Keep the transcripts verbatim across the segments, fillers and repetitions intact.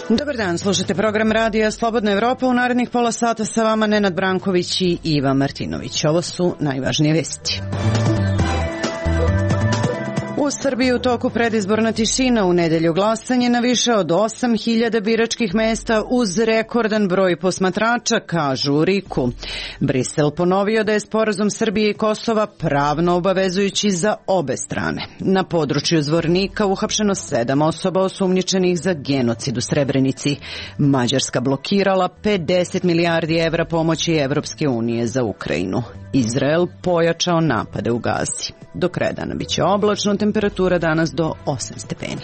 Dobar dan, slušate program radija Slobodna Evropa. U narednih pola sata sa vama Nenad Branković i Iva Martinović. Ovo su najvažnije vesti. U Srbiji u toku predizborna tišina, u nedelju glasanje na više od osam hiljada biračkih mesta uz rekordan broj posmatrača, kažu u RIK-u. Brisel ponovio da je sporazum Srbije i Kosova pravno obavezujući za obe strane. Na području Zvornika uhapšeno sedam osoba osumnjičenih za genocid u Srebrenici. Mađarska blokirala pedeset milijardi evra pomoći Evropske unije za Ukrajinu. Izrael pojačao napade u Gazi. Do kraja dana biće oblačno, temperatura danas do osam stepeni.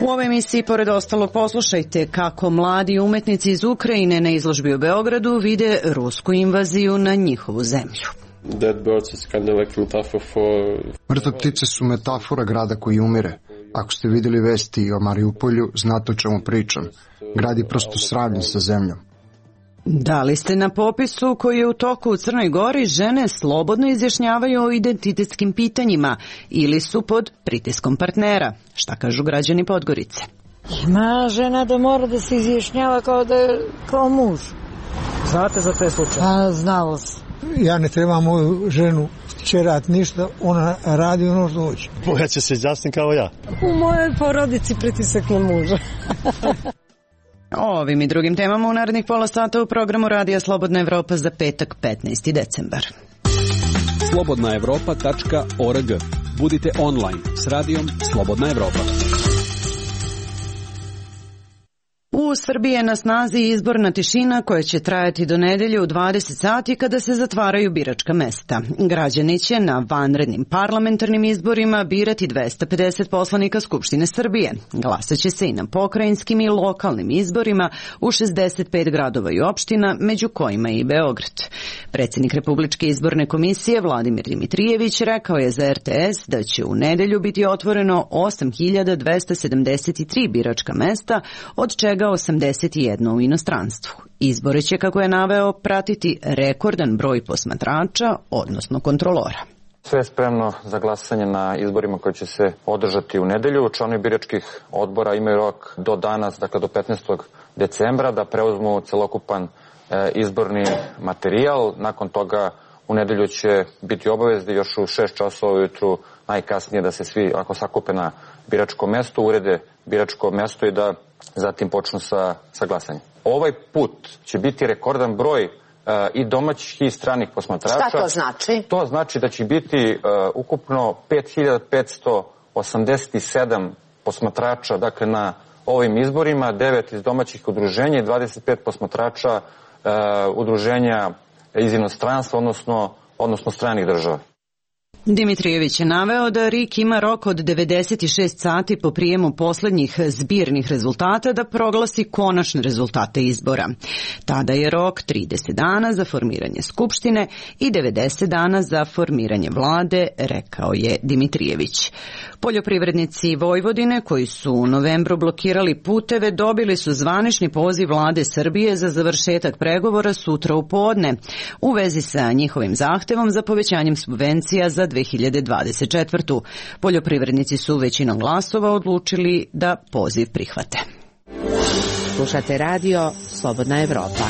U ovoj emisiji, pored ostalog, poslušajte kako mladi umetnici iz Ukrajine na izložbi u Beogradu vide rusku invaziju na njihovu zemlju. Mrtve ptice su metafora grada koji umire. Ako ste vidjeli vesti o Mariupolju, znate o čemu pričam. Grad je prosto sravnjen sa zemljom. Da li ste na popisu koji je u toku u Crnoj Gori, žene slobodno izjašnjavaju o identitetskim pitanjima ili su pod pritiskom partnera? Šta kažu građani Podgorice? Ima žena da mora da se izjašnjava kao da je kao muž. Znate za te slučaje? A, znalo se. Ja ne trebam moju ženu čerat ništa, ona radi ono što hoće. Moja će se izjasniti kao ja. U mojoj porodici pritisak na muža. O ovim i drugim temama u narednih pola sata u programu Radija Slobodna Evropa za petak petnaesti decembar. slobodna evropa tačka org. Budite online s radijom Slobodna Evropa. U Srbiji je na snazi izborna tišina koja će trajati do nedelje u dvadeset sati kada se zatvaraju biračka mesta. Građani će na vanrednim parlamentarnim izborima birati dvesta pedeset poslanika Skupštine Srbije. Glasaće se i na pokrajinskim i lokalnim izborima u šezdeset pet gradova i opština, među kojima i Beograd. Predsjednik Republičke izborne komisije Vladimir Dimitrijević rekao je za er te es da će u nedelju biti otvoreno osam hiljada dvesta sedamdeset tri biračka mesta, od čega osamdeset jedno u inostranstvu. Izbore će, kako je naveo, pratiti rekordan broj posmatrača, odnosno kontrolora. Sve je spremno za glasanje na izborima koji će se održati u nedelju. Članovi biračkih odbora imaju rok do danas, dakle do petnaestog decembra, da preuzmu celokupan e, izborni materijal. Nakon toga u nedelju će biti obavezni još u šest časova ujutru najkasnije da se svi ako sakupe na biračko mesto, urede biračko mesto i da zatim počnu sa, sa glasanjem. Ovaj put će biti rekordan broj uh, i domaćih i stranih posmatrača. Šta to znači? To znači da će biti uh, ukupno pet hiljada petsto osamdeset sedam posmatrača, dakle, na ovim izborima, devet iz domaćih udruženja i dvadeset pet posmatrača uh, udruženja iz inostranstva, odnosno, odnosno stranih država. Dimitrijević je naveo da RIK ima rok od devedeset šest sati po prijemu poslednjih zbirnih rezultata da proglasi konačne rezultate izbora. Tada je rok trideset dana za formiranje Skupštine i devedeset dana za formiranje vlade, rekao je Dimitrijević. Poljoprivrednici Vojvodine koji su u novembru blokirali puteve dobili su zvanični poziv vlade Srbije za završetak pregovora sutra u podne u vezi sa njihovim zahtevom za povećanjem subvencija za dve hiljade dvadeset četvrtu. Poljoprivrednici su većinom glasova odlučili da poziv prihvate. Slušate radio Slobodna Evropa.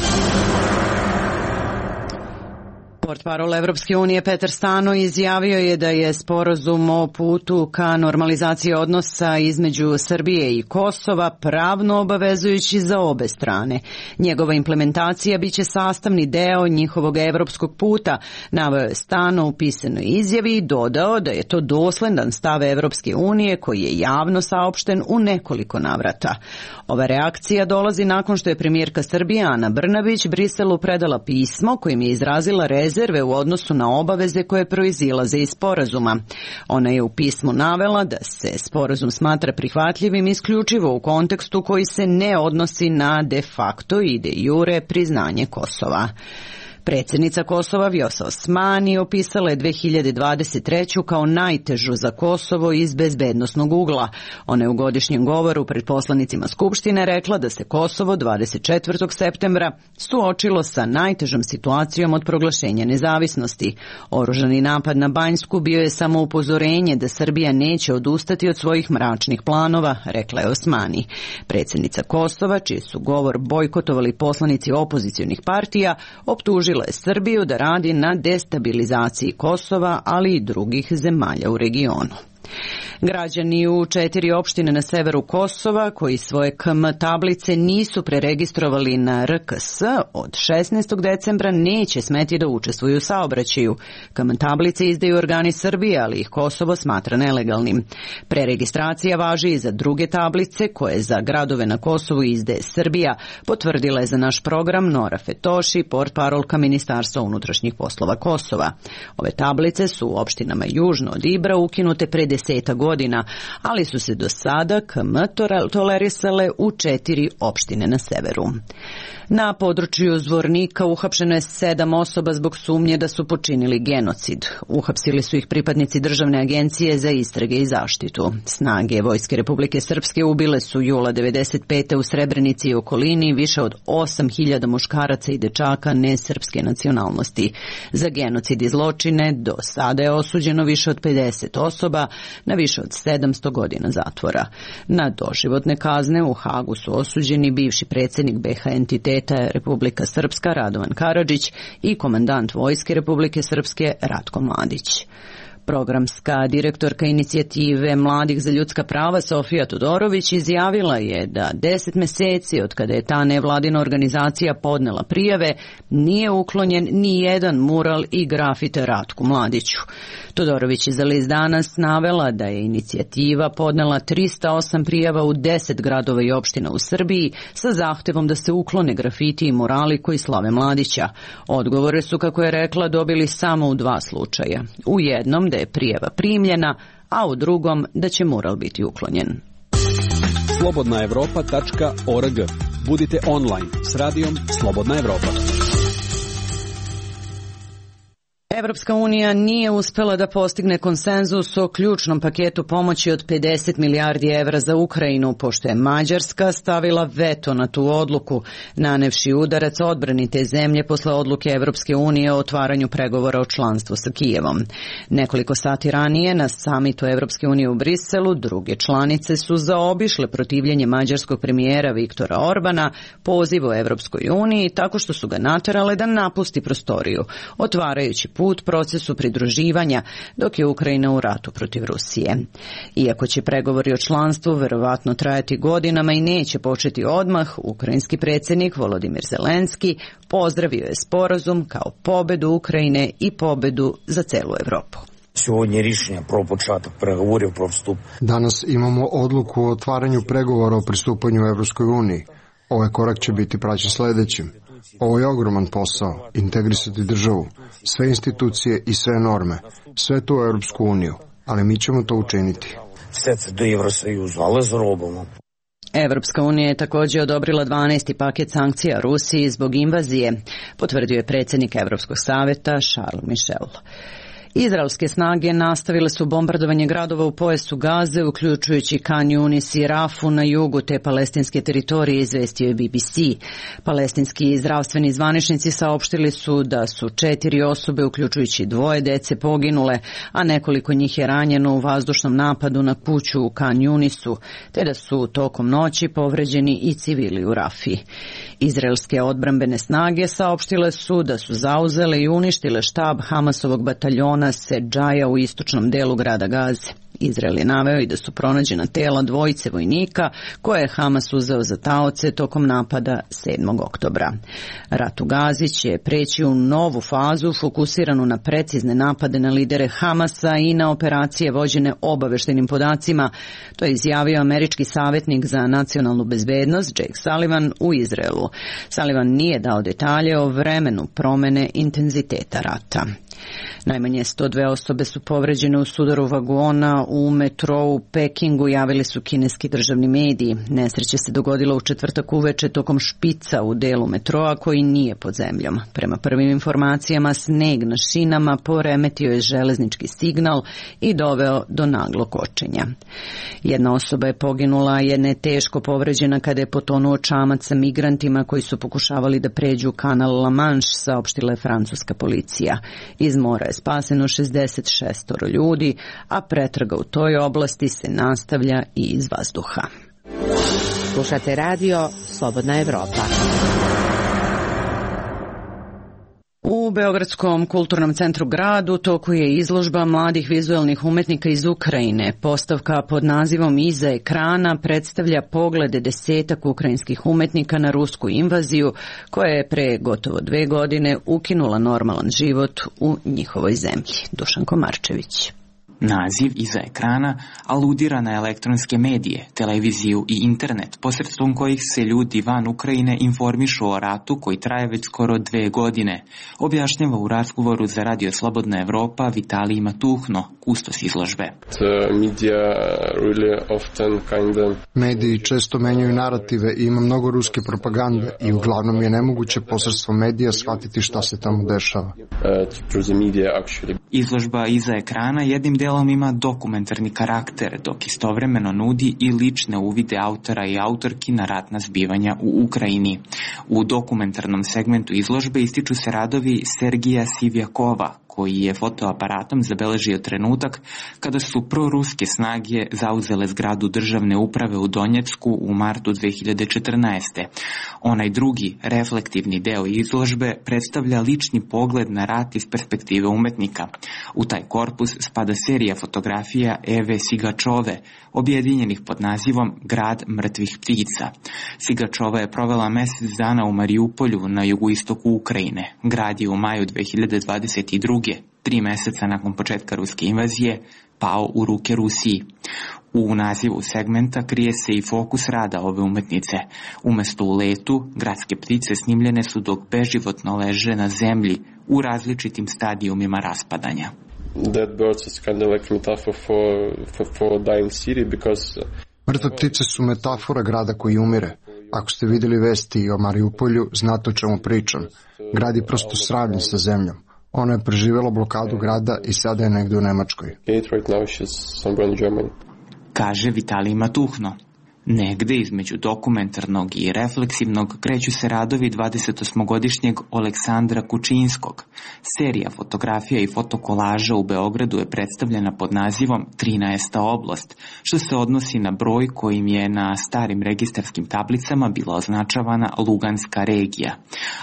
Portparol Evropske unije Petar Stano izjavio je da je sporazum o putu ka normalizaciji odnosa između Srbije i Kosova pravno obavezujući za obe strane. Njegova implementacija biće sastavni deo njihovog evropskog puta, naveo je Stano u pisanoj izjavi i dodao da je to dosledan stav Evropske unije koji je javno saopšten u nekoliko navrata. Ova reakcija dolazi nakon što je premijerka Srbije Ana Brnabić Briselu predala pismo kojim je izrazila rezerve u odnosu na obaveze koje proizilaze iz sporazuma. Ona je u pismu navela da se sporazum smatra prihvatljivim isključivo u kontekstu koji se ne odnosi na de facto i de jure priznanje Kosova. Predsjednica Kosova Vjosa Osmani opisala je dve hiljade dvadeset treću kao najtežu za Kosovo iz bezbednosnog ugla. Ona je u godišnjem govoru pred poslanicima Skupštine rekla da se Kosovo dvadeset četvrtog septembra suočilo sa najtežom situacijom od proglašenja nezavisnosti. Oružani napad na Banjsku bio je samo upozorenje da Srbija neće odustati od svojih mračnih planova, rekla je Osmani. Predsjednica Kosova, čiji su govor bojkotovali poslanici opozicionih partija, optužila je Srbiju da radi na destabilizaciji Kosova, ali i drugih zemalja u regionu. Građani u četiri opštine na severu Kosova koji svoje K M tablice nisu preregistrovali na R K S od šesnaestog decembra neće smeti da učestvuju u saobraćaju. K M tablice izdaju organi Srbije, ali ih Kosovo smatra nelegalnim. Preregistracija važi i za druge tablice koje za gradove na Kosovu izdaje Srbija, potvrdila je za naš program Nora Fetoši, portparolka Ministarstva unutrašnjih poslova Kosova. Ove tablice su u opštinama južno od Ibra ukinute pre deseta godina, ali su se do sada K M tolerisale u četiri opštine na severu. Na području Zvornika uhapšeno je sedam osoba zbog sumnje da su počinili genocid. Uhapsili su ih pripadnici Državne agencije za istrage i zaštitu. Snage Vojske Republike Srpske ubile su jula devedeset pete u Srebrenici i okolini više od osam hiljada muškaraca i dečaka nesrpske nacionalnosti. Za genocid i zločine do sada je osuđeno više od pedeset osoba na više od sedamsto godina zatvora. Na doživotne kazne u Hagu su osuđeni bivši predsjednik B H entiteta Republika Srpska Radovan Karadžić i komandant Vojske Republike Srpske Ratko Mladić. Programska direktorka inicijative Mladih za ljudska prava Sofija Todorović izjavila je da deset meseci od kada je ta nevladina organizacija podnela prijave nije uklonjen ni jedan mural i grafite Ratku Mladiću. Todorović je za list Danas navela da je inicijativa podnela trista osam prijava u deset gradova i opština u Srbiji sa zahtevom da se uklone grafiti i murali koji slave Mladića. Odgovore su, kako je rekla, dobili samo u dva slučaja. U jednom da je prijava primljena, a u drugom da će mural biti uklonjen. slobodna evropa tačka org. Budite online s radijom Slobodna Evropa. Evropska unija nije uspela da postigne konsenzus o ključnom paketu pomoći od pedeset milijardi evra za Ukrajinu, pošto je Mađarska stavila veto na tu odluku, nanevši udarac odbrani te zemlje posle odluke Evropske unije o otvaranju pregovora o članstvu sa Kijevom. Nekoliko sati ranije na samitu Evropske unije u Briselu druge članice su zaobišle protivljenje mađarskog premijera Viktora Orbana pozivu Evropskoj uniji tako što su ga naterale da napusti prostoriju, otvarajući put procesu pridruživanja dok je Ukrajina u ratu protiv Rusije. Iako će pregovori o članstvu verovatno trajati godinama i neće početi odmah, ukrajinski predsjednik Volodimir Zelenski pozdravio je sporazum kao pobedu Ukrajine i pobedu za celu Evropu. Danas imamo odluku o otvaranju pregovora o pristupanju Evropskoj uniji. Ovaj korak će biti praćen sljedećim. Ovo je ogroman posao, integrisati državu, sve institucije i sve norme, sve to u Europsku uniju, ali mi ćemo to učiniti. Evropska unija je također odobrila dvanaesti paket sankcija Rusiji zbog invazije, potvrdio je predsjednik Evropskog savjeta Charles Michel. Izraelske snage nastavile su bombardovanje gradova u pojasu Gaze, uključujući Khan Yunis i Rafu na jugu te palestinske teritorije, izvestio je B B C. Palestinski zdravstveni zvaničnici saopštili su da su četiri osobe, uključujući dvoje dece, poginule, a nekoliko njih je ranjeno u vazdušnom napadu na kuću u Khan Yunisu, te da su tokom noći povređeni i civili u Rafi. Izraelske odbrambene snage saopštile su da su zauzele i uništile štab Hamasovog bataljona Sedžaja u istočnom delu grada Gaze. Izrael je naveo i da su pronađena tela dvojice vojnika koje je Hamas uzeo za taoce tokom napada sedmog oktobra. Rat u Gazi će preći u novu fazu fokusiranu na precizne napade na lidere Hamasa i na operacije vođene obaveštenim podacima. To je izjavio američki savjetnik za nacionalnu bezbednost Jake Sullivan u Izraelu. Sullivan nije dao detalje o vremenu promene intenziteta rata. Najmanje sto dve osobe su povređene u sudaru vagona u metrou u Pekingu, javili su kineski državni mediji. Nesreća se dogodila u četvrtak uveče tokom špica u delu metroa koji nije pod zemljom. Prema prvim informacijama, sneg na šinama poremetio je železnički signal i doveo do naglog kočenja. Jedna osoba je poginula, jedna je teško povređena kada je potonuo čamac sa migrantima koji su pokušavali da pređu kanal La Manche, saopštila je francuska policija. Iz mora je spaseno šezdeset šest ljudi, a pretraga u toj oblasti se nastavlja i iz vazduha. Slušate radio Slobodna Evropa. U Beogradskom kulturnom centru Grad u toku je izložba mladih vizuelnih umetnika iz Ukrajine. Postavka pod nazivom Iza ekrana predstavlja poglede desetak ukrajinskih umetnika na rusku invaziju koja je pre gotovo dve godine ukinula normalan život u njihovoj zemlji. Dušan Komarčević. Naziv Iza ekrana aludira na elektronske medije, televiziju i internet, posredstvom kojih se ljudi van Ukrajine informišu o ratu koji traje već skoro dve godine, objašnjava u razgovoru za Radio Slobodna Evropa Vitalij Matuhno, kustos izložbe. Mediji često menjaju narative i ima mnogo ruske propagande i uglavnom je nemoguće posredstvom medija shvatiti šta se tamo dešava. Izložba Iza ekrana jednim delom ima dokumentarni karakter, dok istovremeno nudi i lične uvide autora i autorki na ratna zbivanja u Ukrajini. U dokumentarnom segmentu izložbe ističu se radovi Sergija Sivjakova, koji je fotoaparatom zabeležio trenutak kada su proruske snage zauzele zgradu državne uprave u Donjecku u martu dve hiljade četrnaeste. Onaj drugi, reflektivni deo izložbe predstavlja lični pogled na rat iz perspektive umetnika. U taj korpus spada serija fotografija Eve Sigačove, objedinjenih pod nazivom Grad mrtvih ptica. Sigačova je provela mesec dana u Mariupolju na jugoistoku Ukrajine. Grad je u maju dve hiljade dvadeset druge, tri meseca nakon početka ruske invazije, pao u ruke Rusiji. U nazivu segmenta krije se i fokus rada ove umetnice. Umesto u letu, gradske ptice snimljene su dok beživotno leže na zemlji u različitim stadijumima raspadanja. Dead birds is kind of like metaphor for, for, for a dying city because... Mrtve ptice su metafora grada koji umire. Ako ste vidjeli vesti o Mariupolju, znate o čemu pričam. Grad je prosto sravnjen sa zemljom. Ona je preživjela blokadu grada i sada je negdje u Nemačkoj. Kaže Vitalij Matuhno. Negde između dokumentarnog i refleksivnog kreću se radovi dvadesetosmogodišnjeg Oleksandra Kučinskog. Serija fotografija i fotokolaža u Beogradu je predstavljena pod nazivom trinaesta oblast, što se odnosi na broj kojim je na starim registarskim tablicama bila označavana Luganska regija.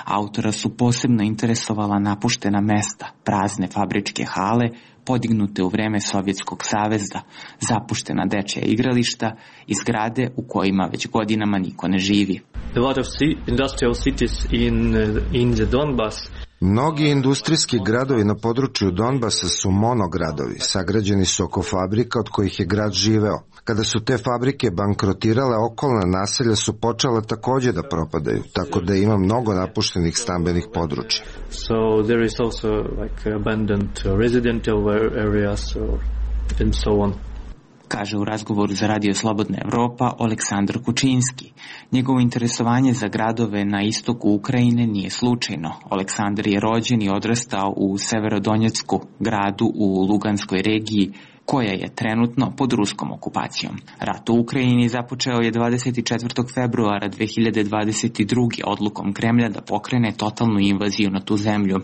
Autora su posebno interesovala napuštena mesta, prazne fabričke hale, podignute u vreme Sovjetskog saveza, zapuštena dečja igrališta i zgrade u kojima već godinama niko ne živi. A lot of industrial cities in in the Donbas. Mnogi industrijski gradovi na području Donbasa su monogradovi, sagrađeni su oko fabrika od kojih je grad živeo. Kada su te fabrike bankrotirale, okolna naselja su počela također da propadaju, tako da ima mnogo napuštenih stambenih područja. So there is also like abandoned residential areas and so on. Kaže u razgovoru za Radio Slobodna Evropa Oleksandar Kučinski. Njegovo interesovanje za gradove na istoku Ukrajine nije slučajno. Oleksandar je rođen i odrastao u Severodonjecku, gradu u Luganskoj regiji, koja je trenutno pod ruskom okupacijom. Rat u Ukrajini započeo je dvadeset četvrtog februara dve hiljade dvadeset druge odlukom Kremlja da pokrene totalnu invaziju na tu zemlju.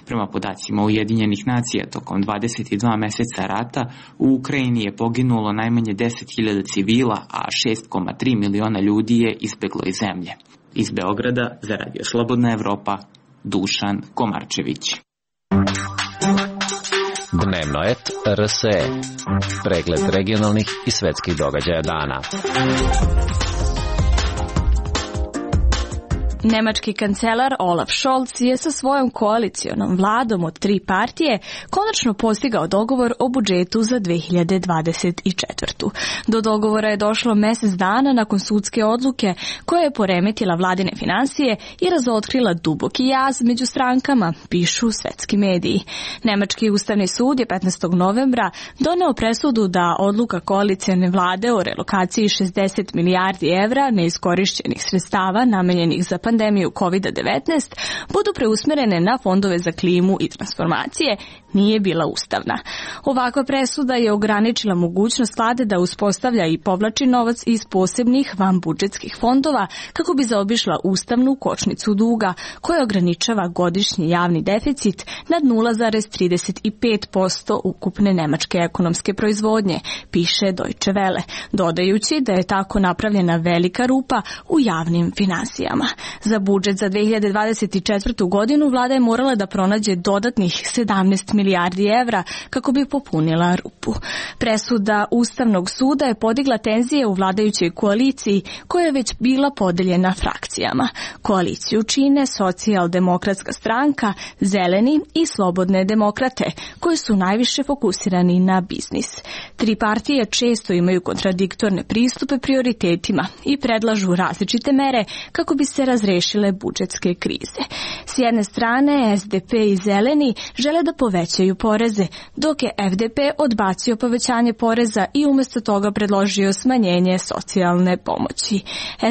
Prema podacima Ujedinjenih nacija, tokom dvadeset dva meseca rata u Ukrajini je poginulo najmanje deset hiljada civila, a šest zarez tri miliona ljudi je izbeglo iz zemlje. Iz Beograda za Radio Slobodna Evropa, Dušan Komarčević. Dnevno et R S E. Pregled regionalnih i svetskih događaja dana. Nemački kancelar Olaf Scholz je sa svojom koalicijonom vladom od tri partije konačno postigao dogovor o budžetu za dve hiljade dvadeset četvrtu. Do dogovora je došlo mesec dana nakon sudske odluke koja je poremetila vladine finansije i razotkrila duboki jaz među strankama, pišu svetski mediji. Nemački ustavni sud je petnaestog novembra doneo presudu da odluka koalicijone vlade o relokaciji šezdeset milijardi evra neiskorišćenih sredstava namenjenih za pandemiju kovid devetnaest budu preusmerene na fondove za klimu i transformacije nije bila ustavna. Ovakva presuda je ograničila mogućnost vlade da uspostavlja i povlači novac iz posebnih vanbudžetskih fondova kako bi zaobišla ustavnu kočnicu duga koja ograničava godišnji javni deficit nad nula zarez trideset pet posto ukupne nemačke ekonomske proizvodnje, piše Deutsche Welle, dodajući da je tako napravljena velika rupa u javnim finansijama. Za budžet za dve hiljade dvadeset četvrtu. godinu vlada je morala da pronađe dodatnih sedamnaest milijardi evra kako bi popunila rupu. Presuda Ustavnog suda je podigla tenzije u vladajućoj koaliciji koja je već bila podeljena frakcijama. Koaliciju čine Socijaldemokratska stranka, Zeleni i Slobodne demokrate, koji su najviše fokusirani na biznis. Tri partije često imaju kontradiktorne pristupe prioritetima i predlažu različite mere kako bi se razrešile budžetske krize. S jedne strane, S D P i Zeleni žele da povećaju poreze, dok je F D P odbacio povećanje poreza i umjesto toga predložio smanjenje socijalne pomoći.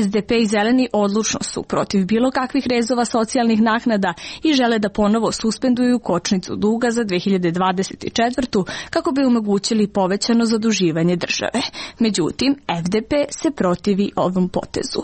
S D P i Zeleni odlučno su protiv bilo kakvih rezova socijalnih naknada i žele da ponovo suspenduju kočnicu duga za dve hiljade dvadeset četvrtu. kako bi omogućili povećano zaduživanje države. Međutim, F D P se protivi ovom potezu.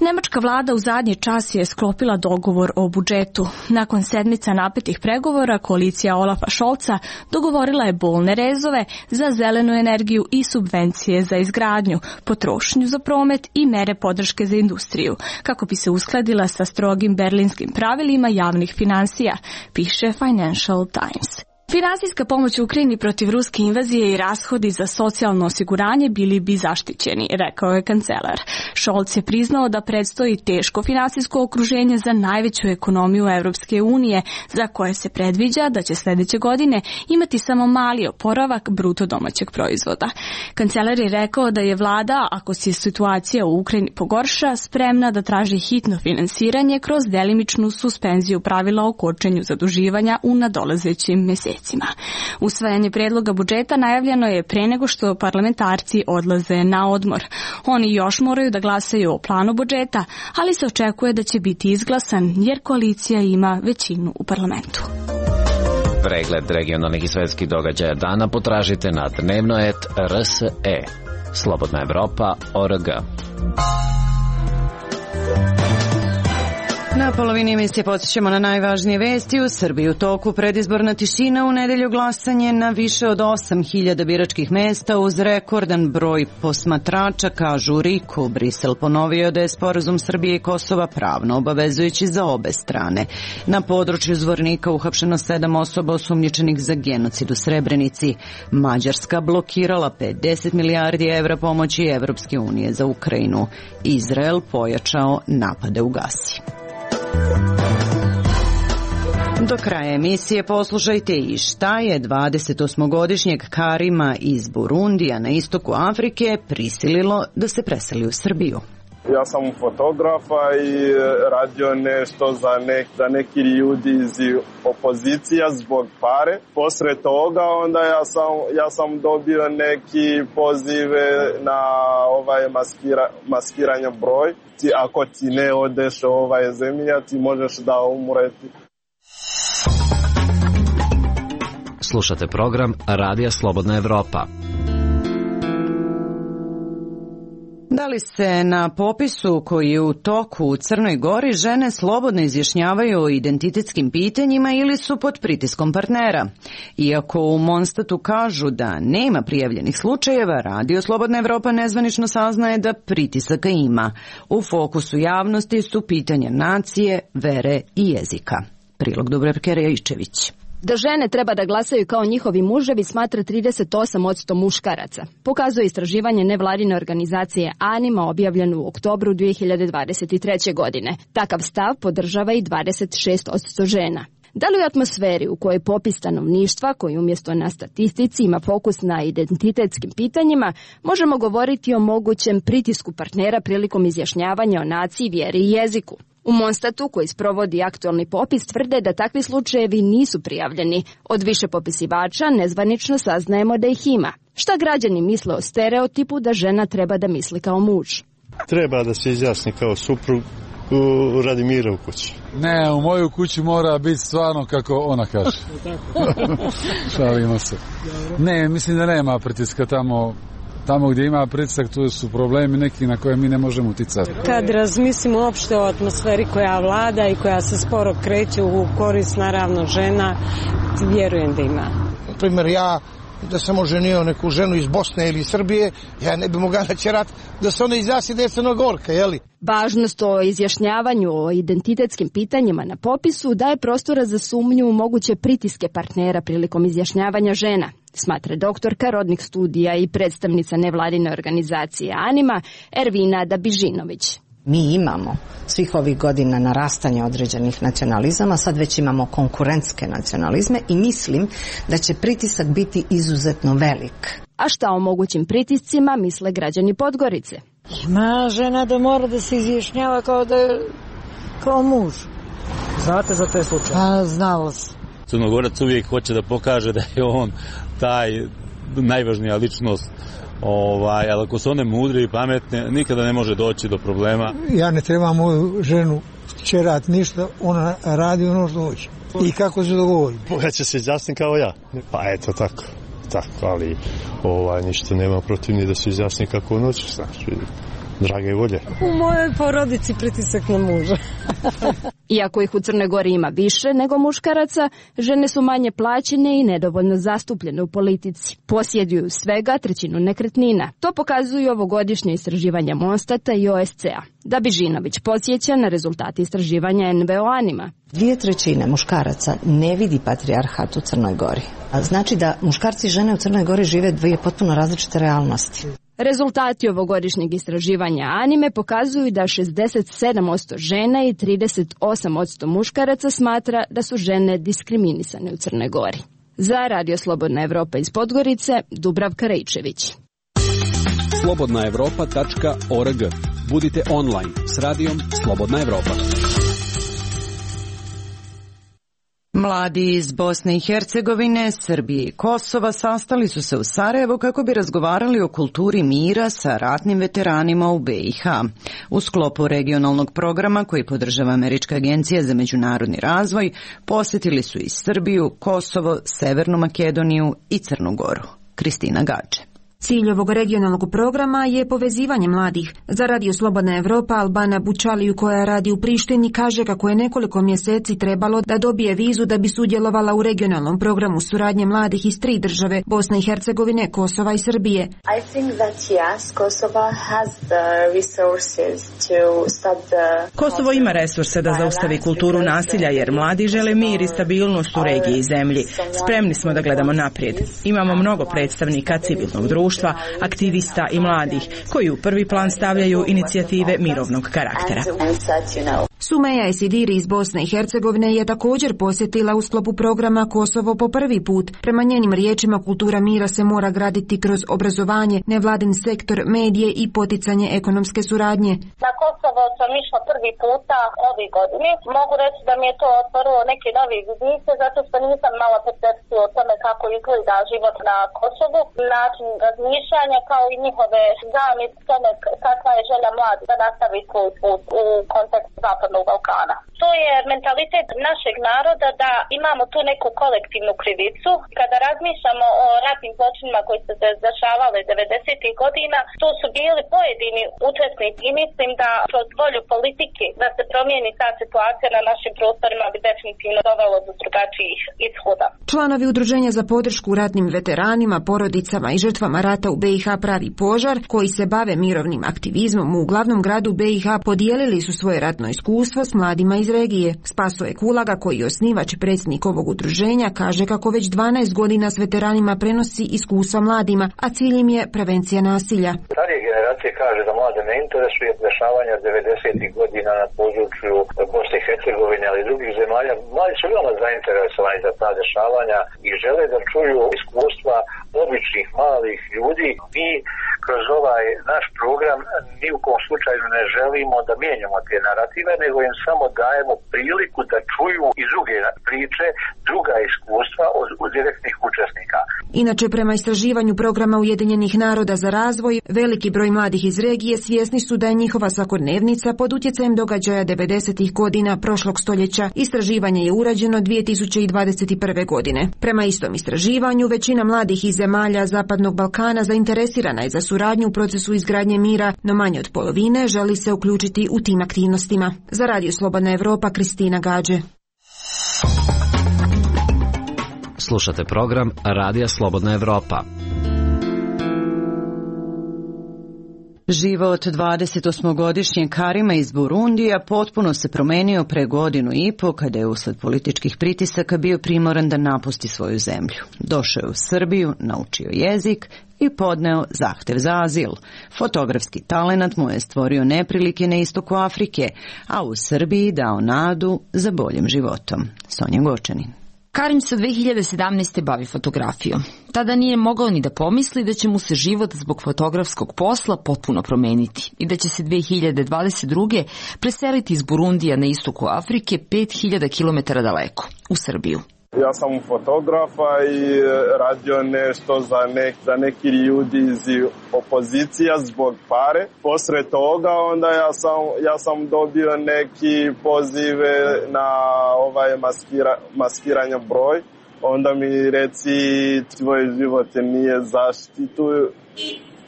Nemačka vlada u zadnji čas je sklopila dogovor o budžetu. Nakon sedmica napetih pregovora, koalicija Olafa Scholza dogovorila je bolne rezove za zelenu energiju i subvencije za izgradnju, potrošnju za promet i mere podrške za industriju, kako bi se uskladila sa strogim berlinskim pravilima javnih finansija, piše Financial Times. Finansijska pomoć Ukrajini protiv ruske invazije i rashodi za socijalno osiguranje bili bi zaštićeni, rekao je kancelar. Scholz je priznao da predstoji teško finansijsko okruženje za najveću ekonomiju Evropske unije, za koje se predviđa da će sljedeće godine imati samo mali oporavak bruto domaćeg proizvoda. Kancelar je rekao da je vlada, ako se situacija u Ukrajini pogorša, spremna da traži hitno finansiranje kroz delimičnu suspenziju pravila o kočenju zaduživanja u nadolazećim mjesecima. Usvajanje predloga budžeta najavljeno je pre nego što parlamentarci odlaze na odmor. Oni još moraju da glasaju o planu budžeta, ali se očekuje da će biti izglasan jer koalicija ima većinu u parlamentu. Pregled regionalnih i svetskih događaja dana potražite na dnevnoet R S E. Slobodna Evropa O R G. Na polovini emisije podsjećamo na najvažnije vesti. U Srbiji u toku predizborna tišina, u nedelju glasanje na više od osam hiljada biračkih mesta uz rekordan broj posmatrača, kažu RIK-u. Brisel ponovio da je sporazum Srbije i Kosova pravno obavezujući za obe strane. Na području Zvornika uhapšeno sedam osoba osumnjičenih za genocid u Srebrenici. Mađarska blokirala pedeset milijardi evra pomoći Evropske unije za Ukrajinu. Izrael pojačao napade u Gazi. Do kraja emisije poslušajte i šta je dvadesetosmogodišnjeg Karima iz Burundija na istoku Afrike prisililo da se preseli u Srbiju. Ja sam fotografa i radio nešto za, nek, za neki ljudi iz opozicija zbog pare. Posle toga onda ja sam, ja sam dobio neki pozive na ovaj maskira, maskiranje broj. Ti, ako ti ne odeš ovaj zemlja, ti možeš da umreti. Slušate program Radija Slobodna Evropa. Da li se na popisu koji je u toku u Crnoj Gori žene slobodno izjašnjavaju o identitetskim pitanjima ili su pod pritiskom partnera? Iako u Monstatu kažu da nema prijavljenih slučajeva, Radio Slobodna Evropa nezvanično saznaje da pritisaka ima. U fokusu javnosti su pitanja nacije, vere i jezika. Prilog Dubravke Rajičević. Da žene treba da glasaju kao njihovi muževi smatra trideset osam posto muškaraca. Pokazuje istraživanje nevladine organizacije Anima objavljeno u oktobru dve hiljade dvadeset treće. godine. Takav stav podržava i dvadeset šest posto žena. Da li u atmosferi u kojoj popis stanovništva, koji umjesto na statistici ima fokus na identitetskim pitanjima, možemo govoriti o mogućem pritisku partnera prilikom izjašnjavanja o naciji, vjeri i jeziku? U Monstatu, koji sprovodi aktualni popis, tvrde da takvi slučajevi nisu prijavljeni. Od više popisivača nezvanično saznajemo da ih ima. Šta građani misle o stereotipu da žena treba da misli kao muž? Treba da se izjasni kao suprug u radi mira u kući. Ne, u moju kući mora biti stvarno kako ona kaže. Šalimo se. Ne, mislim da nema pritiska tamo. Tamo gdje ima pritisak, tu su problemi neki na koje mi ne možemo uticati. Kad razmislimo uopšte o atmosferi koja vlada i koja se sporo kreće u korist naravno žena, vjerujem da ima. Na primjer, ja da sam oženio neku ženu iz Bosne ili Srbije, ja ne bi mogla natjerati da se ona izjasni da je Crnogorka, jeli? Važnost o izjašnjavanju o identitetskim pitanjima na popisu daje prostora za sumnju u moguće pritiske partnera prilikom izjašnjavanja žena, smatra doktorka rodnih studija i predstavnica nevladine organizacije Anima, Ervina Dabižinović. Mi imamo svih ovih godina narastanje određenih nacionalizama, sad već imamo konkurentske nacionalizme i mislim da će pritisak biti izuzetno velik. A šta o mogućim pritiscima misle građani Podgorice? Ima žena da mora da se izjašnjava kao da je kao muž. Znate za te slučaje? Pa, znalo se. Crnogorac uvijek hoće da pokaže da je on taj najvažnija ličnost. Ovaj, ali ako su one mudre i pametne, nikada ne može doći do problema. Ja ne trebam moju ženu čerat ništa, ona radi ono što hoće. I kako se dogovori? Ja će se izjasniti kao ja. Pa eto tako, tako, ali ovaj, ništa nema protiv ni da se izjasni kako on hoće, znaš, drage volje. U mojoj porodici pritisak na muža. Iako ih u Crnoj Gori ima više nego muškaraca, žene su manje plaćene i nedovoljno zastupljene u politici. Posjeduju svega trećinu nekretnina. To pokazuju ovogodišnje istraživanja Monstata i O S C-a. Dabižinović podsjeća na rezultate istraživanja N V O Anima. Dvije trećine muškaraca ne vidi patrijarhat u Crnoj Gori. Znači da muškarci i žene u Crnoj Gori žive dvije potpuno različite realnosti. Rezultati ovogodišnjeg istraživanja Anime pokazuju da šezdeset sedam posto žena i trideset osam posto muškaraca smatra da su žene diskriminisane u Crnoj Gori. Za Radio Slobodna Evropa iz Podgorice, Dubravka Rejčević. slobodna evropa tačka org. Budite online s radijom Slobodna Evropa. Mladi iz Bosne i Hercegovine, Srbije i Kosova sastali su se u Sarajevu kako bi razgovarali o kulturi mira sa ratnim veteranima u B i H. U sklopu regionalnog programa koji podržava Američka agencija za međunarodni razvoj, posjetili su i Srbiju, Kosovo, Severnu Makedoniju i Crnu Goru. Kristina Gače. Cilj ovog regionalnog programa je povezivanje mladih. Za Radio Slobodna Evropa Albana Bučaliju, koja radi u Prištini, kaže kako je nekoliko mjeseci trebalo da dobije vizu da bi sudjelovala u regionalnom programu suradnje mladih iz tri države, Bosne i Hercegovine, Kosova i Srbije. I think that yes, Kosovo has the resources to stop the... Kosovo ima resurse da zaustavi kulturu nasilja jer mladi žele mir i stabilnost u regiji i zemlji. Spremni smo da gledamo naprijed. Imamo mnogo predstavnika civilnog društva, aktivista i mladih, koji u prvi plan stavljaju inicijative mirovnog karaktera. Sumeja Esidiri iz Bosne i Hercegovine je također posjetila u sklopu programa Kosovo po prvi put. Prema njenim riječima, kultura mira se mora graditi kroz obrazovanje, nevladin sektor, medije i poticanje ekonomske suradnje. Na Kosovo sam išla prvi puta ove godine. Mogu reći da mi je to otvorilo neke nove vidike, zato što nisam mala percepciju o tome kako izgleda život na Kosovu, način razmišljanja kao i njihove zamisli tome kakva je želja mladi da nastavi svoj put u kontekstu Zapadnog Balkana. To je mentalitet našeg naroda da imamo tu neku kolektivnu krivicu. Kada razmišljamo o ratnim zločinima koji su se dešavale devedesetih godina, tu su bili pojedini učesnici i mislim da da kroz volju politike da se promijeni ta situacija na našim prostorima bi definitivno dovelo do drugačijih ishoda. Članovi Udruženja za podršku ratnim veteranima, porodicama i žrtvama rata u B i H Pravi požar, koji se bave mirovnim aktivizmom u glavnom gradu B i H, podijelili su svoje ratno iskustvo s mladima iz regije. Spasoje Kulaga, koji je osnivač i predsjednik ovog udruženja, kaže kako već dvanaest godina s veteranima prenosi iskustva mladima, a cilj im je prevencija nasilja. Starije generacije kaže da mlade ne interesuje dešavanja devedesetih godina na području Bosne i Hercegovine, ali i drugih zemalja. Mladi su veoma zainteresovani za ta dešavanja i žele da čuju iskustva običnih malih ljudi. Mi kroz ovaj naš program ni u kom slučaju ne želimo da mijenjamo te narative, nego im samo dajemo priliku da čuju i druge priče, druga iskustva od, od direktnih učesnika. Inače, prema istraživanju programa Ujedinjenih naroda za razvoj, veliki broj mladih iz regije svjesni su da je njihova svakodnevnica pod utjecajem događaja devedesetih godina prošlog stoljeća. Istraživanje je urađeno dvije tisuće dvadeset prve. godine. Prema istom istraživanju, većina mladih iz zemalja Zapadnog Balkana zainteresirana je za suradnju u procesu izgradnje mira, no manje od polovine želi se uključiti u tim aktivnostima. Za Radio Slobodna Evropa, Kristina Gađe. Slušate program Radija Slobodna Evropa. Život dvadesetosmogodišnjeg Karima iz Burundija potpuno se promenio pre godinu i po kada je usled političkih pritisaka bio primoran da napusti svoju zemlju. Došao je u Srbiju, naučio jezik i podneo zahtev za azil. Fotografski talenat mu je stvorio neprilike na istoku Afrike, a u Srbiji dao nadu za boljim životom. Sonja Gočanin. Karim se dve hiljade sedamnaeste. bavi fotografijom. Tada nije mogao ni da pomisli da će mu se život zbog fotografskog posla potpuno promeniti i da će se dve hiljade dvadeset druge. preseliti iz Burundija na istoku Afrike pet hiljada kilometara daleko, u Srbiju. Ja sam fotografa i radio nešto za, nek, za neki ljudi iz opozicija zbog pare. Posle toga onda ja sam, ja sam dobio neki pozive na ovaj maskira, maskiranje broj. Onda mi reci tvoj život nije zaštitu.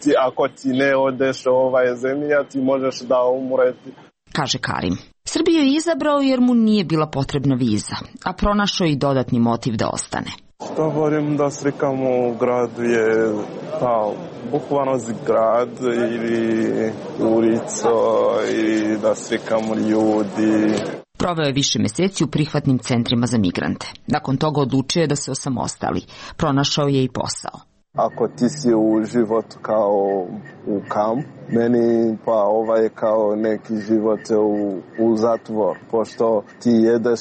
Ti, ako ti ne odeš u ovaj zemlja, ti možeš da umreti. Kaže Karim. Srbiju je izabrao jer mu nije bila potrebna viza, a pronašao i dodatni motiv da ostane. Što volim da slikam u gradu je ta bukvalno grad ili ulico i da slikam ljudi. Proveo je više meseci u prihvatnim centrima za migrante. Nakon toga odlučio je da se osamostali. Pronašao je i posao. Ako ti si u život kao u kamp, meni pa ovaj je kao neki život u, u zatvor. Pošto ti jedeš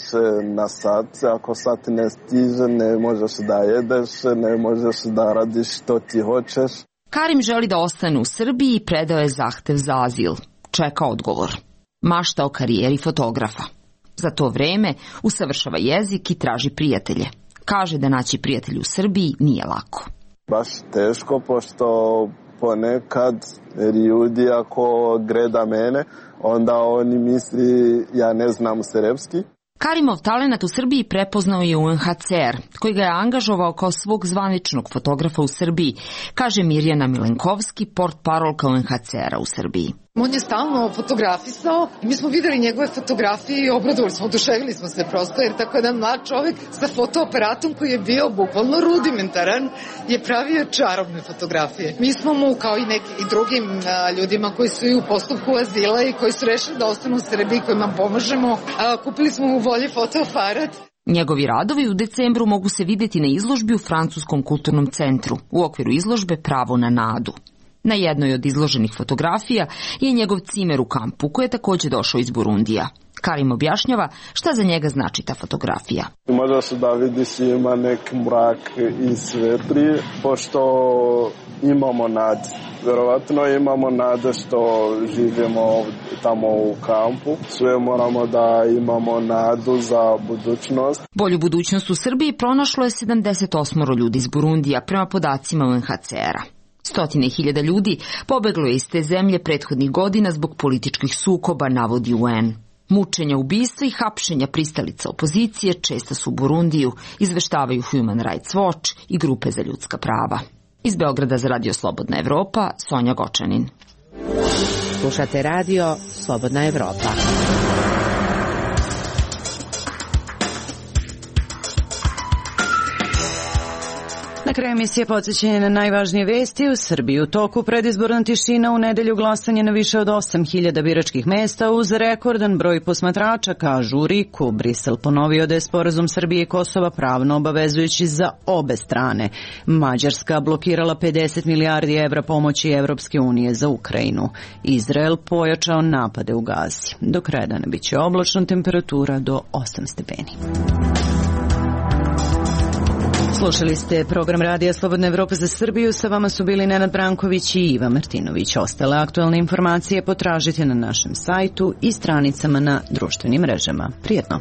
na sat, ako sat ne stiže, ne možeš da jedeš, ne možeš da radiš što ti hoćeš. Karim želi da ostane u Srbiji i predao je zahtev za azil. Čeka odgovor. Mašta o karijeri fotografa. Za to vreme usavršava jezik i traži prijatelje. Kaže da naći prijatelje u Srbiji nije lako. Baš teško, pošto ponekad ljudi ako gleda mene, onda oni misli ja ne znam srpski. Karimov talenat u Srbiji prepoznao je U N H C R, koji ga je angažovao kao svog zvaničnog fotografa u Srbiji, kaže Mirjana Milenkovski, portparolka U N H C R-a u Srbiji. On je stalno fotografisao i mi smo videli njegove fotografije i obradovali smo, oduševili smo se prosto, jer tako jedan mlad čovjek sa fotoaparatom koji je bio bukvalno rudimentaran je pravio čarobne fotografije. Mi smo mu, kao i neki i drugim a, ljudima koji su i u postupku azila i koji su rešili da ostanu u Srbiji, kojima pomožemo, a, kupili smo mu bolji fotoaparat. Njegovi radovi u decembru mogu se vidjeti na izložbi u Francuskom kulturnom centru, u okviru izložbe Pravo na nadu. Na jednoj od izloženih fotografija je njegov cimer u kampu, koji je također došao iz Burundija. Karim objašnjava šta za njega znači ta fotografija. Možeš da vidiš ima neki mrak i svetli, pošto imamo nad. Vjerovatno imamo nade što živimo tamo u kampu. Sve moramo da imamo nadu za budućnost. Bolju budućnost u Srbiji pronašlo je sedamdeset osam ljudi iz Burundija prema podacima U N H C R-a. Stotine hiljada ljudi pobeglo je iz te zemlje prethodnih godina zbog političkih sukoba, navodi U N. Mučenja, ubistva i hapšenja pristalica opozicije često su u Burundiju, izveštavaju Human Rights Watch i grupe za ljudska prava. Iz Beograda za Radio Slobodna Evropa, Sonja Gočanin. Slušate radio Slobodna Evropa. Na kraju emisije podsjećanje na najvažnije vesti. U Srbiji u toku predizborna tišina, u nedelju glasanje na više od osam hiljada biračkih mesta uz rekordan broj posmatrača, kažu u Riku. Brisel ponovio da je sporazum Srbije i Kosova pravno obavezujući za obe strane. Mađarska blokirala pedeset milijardi evra pomoći Evropske unije za Ukrajinu. Izrael pojačao napade u Gazi. Do kraja dana biće oblačno, temperatura do osam stepeni. Slušali ste program Radija Slobodna Evropa za Srbiju. Sa vama su bili Nenad Branković i Iva Martinović. Ostale aktualne informacije potražite na našem sajtu i stranicama na društvenim mrežama. Prijetno!